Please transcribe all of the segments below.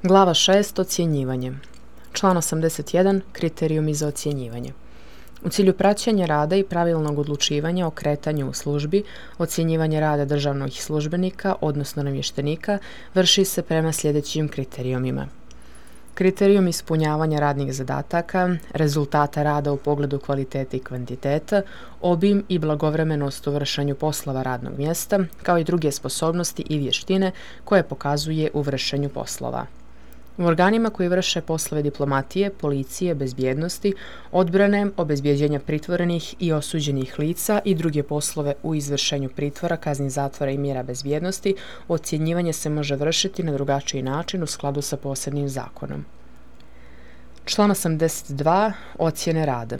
Glava 6. Ocjenjivanje. Član 81. Kriterijumi za ocjenjivanje. U cilju praćenja rada i pravilnog odlučivanja o kretanju u službi, ocjenjivanje rada državnih službenika, odnosno namještenika, vrši se prema sljedećim kriterijumima. Kriterijum ispunjavanja radnih zadataka, rezultata rada u pogledu kvalitete i kvantiteta, obim i blagovremenost u vršenju poslova radnog mjesta, kao i druge sposobnosti i vještine koje pokazuje u vršenju poslova. U organima koji vrše poslove diplomatije, policije, bezbjednosti, odbrane, obezbjeđenja pritvorenih i osuđenih lica i druge poslove u izvršenju pritvora, kazni zatvora i mjera bezbjednosti, ocjenjivanje se može vršiti na drugačiji način u skladu sa posebnim zakonom. Član 82. Ocjene rada.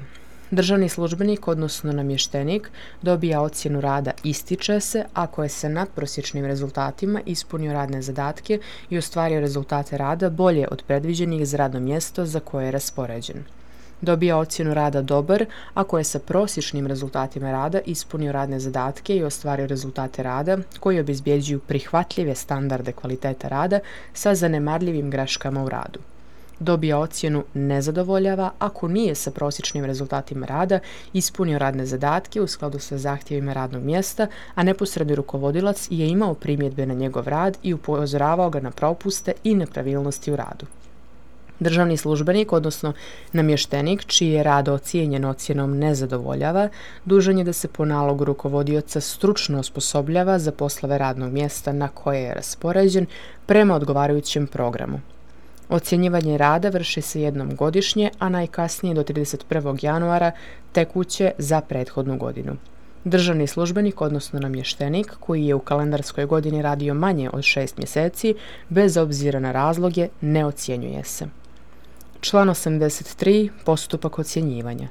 Državni službenik, odnosno namještenik, dobija ocjenu rada ističe se ako je sa nadprosječnim rezultatima ispunio radne zadatke i ostvario rezultate rada bolje od predviđenih za radno mjesto za koje je raspoređen. Dobija ocjenu rada dobar ako je sa prosječnim rezultatima rada ispunio radne zadatke i ostvario rezultate rada koji obezbjeđuju prihvatljive standarde kvaliteta rada sa zanemarljivim greškama u radu. Dobija ocjenu nezadovoljava ako nije sa prosječnim rezultatima rada ispunio radne zadatke u skladu sa zahtjevima radnog mjesta, a neposredni rukovodilac je imao primjedbe na njegov rad i upozoravao ga na propuste i nepravilnosti u radu. Državni službenik, odnosno namještenik, čiji je rad ocijenjen ocjenom nezadovoljava, dužan je da se po nalogu rukovodioca stručno osposobljava za poslove radnog mjesta na koje je raspoređen prema odgovarajućem programu. Ocjenjivanje rada vrši se jednom godišnje, a najkasnije do 31. januara tekuće za prethodnu godinu. Državni službenik, odnosno namještenik, koji je u kalendarskoj godini radio manje od 6 mjeseci, bez obzira na razloge, ne ocjenjuje se. Član 83. Postupak ocjenjivanja.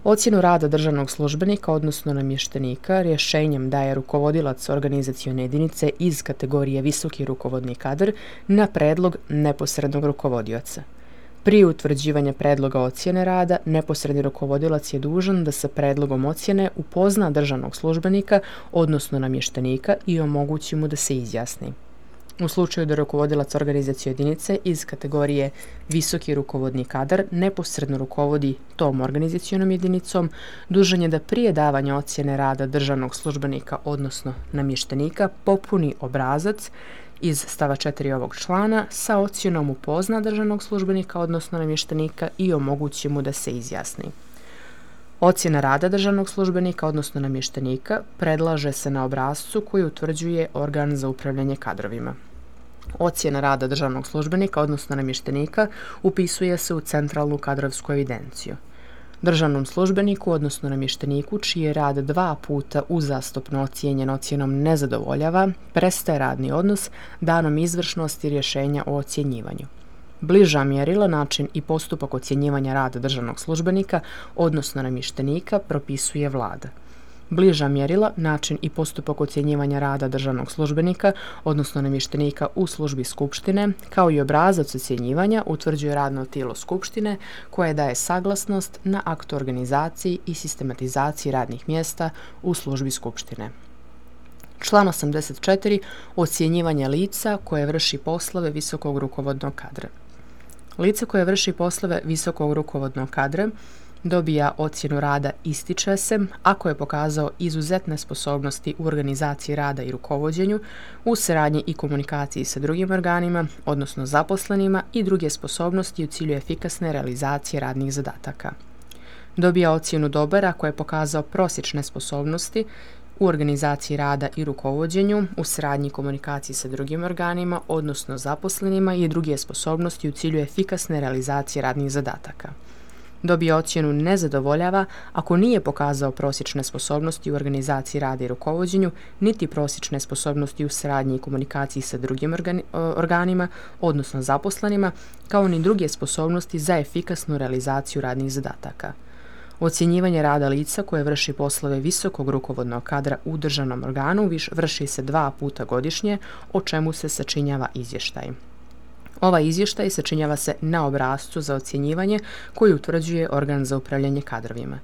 Ocjenu rada državnog službenika, odnosno namještenika, rješenjem daje rukovodilac organizacione jedinice iz kategorije visoki rukovodni kadar na predlog neposrednog rukovodioca. Prije utvrđivanja predloga ocjene rada, neposredni rukovodilac je dužan da sa predlogom ocjene upozna državnog službenika, odnosno namještenika, i omogući mu da se izjasni. U slučaju da rukovodilac organizacione jedinice iz kategorije visoki rukovodni kadar neposredno rukovodi tom organizacionom jedinicom, dužan je da prije davanja ocjene rada državnog službenika, odnosno namještenika, popuni obrazac iz stava 4 ovog člana sa ocjenom upozna državnog službenika, odnosno namještenika, i omogući mu da se izjasni. Ocjena rada državnog službenika, odnosno namještenika, predlaže se na obrascu koji utvrđuje organ za upravljanje kadrovima. Ocjena rada državnog službenika, odnosno namještenika, upisuje se u centralnu kadrovsku evidenciju. Državnom službeniku, odnosno namješteniku, čiji je rad 2 puta uzastopno ocijenjen ocjenom nezadovoljava, prestaje radni odnos danom izvršnosti rješenja o ocjenjivanju. Bliža mjerila, način i postupak ocjenjivanja rada državnog službenika, odnosno namještenika, propisuje Vlada. Bliža mjerila, način i postupak ocjenjivanja rada državnog službenika, odnosno namještenika u službi Skupštine, kao i obrazac ocjenjivanja, utvrđuje radno tijelo Skupštine koje daje saglasnost na akt o organizaciji i sistematizaciji radnih mjesta u službi Skupštine. Član 84. Ocjenjivanje lica koje vrši poslove visokog rukovodnog kadra. Lice koje vrši poslove visokog rukovodnog kadra dobija ocjenu rada ističe se ako je pokazao izuzetne sposobnosti u organizaciji rada i rukovođenju, u saradnji i komunikaciji sa drugim organima, odnosno zaposlenima, i druge sposobnosti u cilju efikasne realizacije radnih zadataka. Dobija ocjenu dobar ako je pokazao prosječne sposobnosti u organizaciji rada i rukovođenju, u saradnji i komunikaciji sa drugim organima, odnosno zaposlenima, i druge sposobnosti u cilju efikasne realizacije radnih zadataka. Dobije ocjenu nezadovoljava ako nije pokazao prosječne sposobnosti u organizaciji rada i rukovođenju, niti prosječne sposobnosti u saradnji i komunikaciji sa drugim organima, odnosno zaposlenima, kao ni druge sposobnosti za efikasnu realizaciju radnih zadataka. Ocjenjivanje rada lica koje vrši poslove visokog rukovodnog kadra u državnom organu vrši se 2 puta godišnje, o čemu se sačinjava izvještaj. Ovaj izvještaj sačinjava se na obrascu za ocjenjivanje koji utvrđuje organ za upravljanje kadrovima.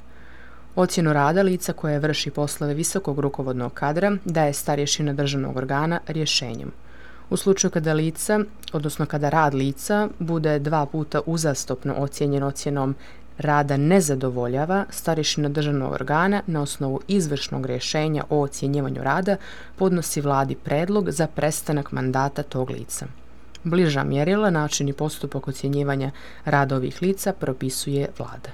Ocjenu rada lica koje vrši poslove visokog rukovodnog kadra daje starješina državnog organa rješenjem. U slučaju kada lica, odnosno kada rad lica bude 2 puta uzastopno ocijenjen ocjenom rada ne zadovoljava, starješina državnog organa na osnovu izvršnog rješenja o ocjenjivanju rada podnosi vladi predlog za prestanak mandata tog lica. Bliža mjerila, način i postupak ocjenjivanja rada ovih lica propisuje vlada.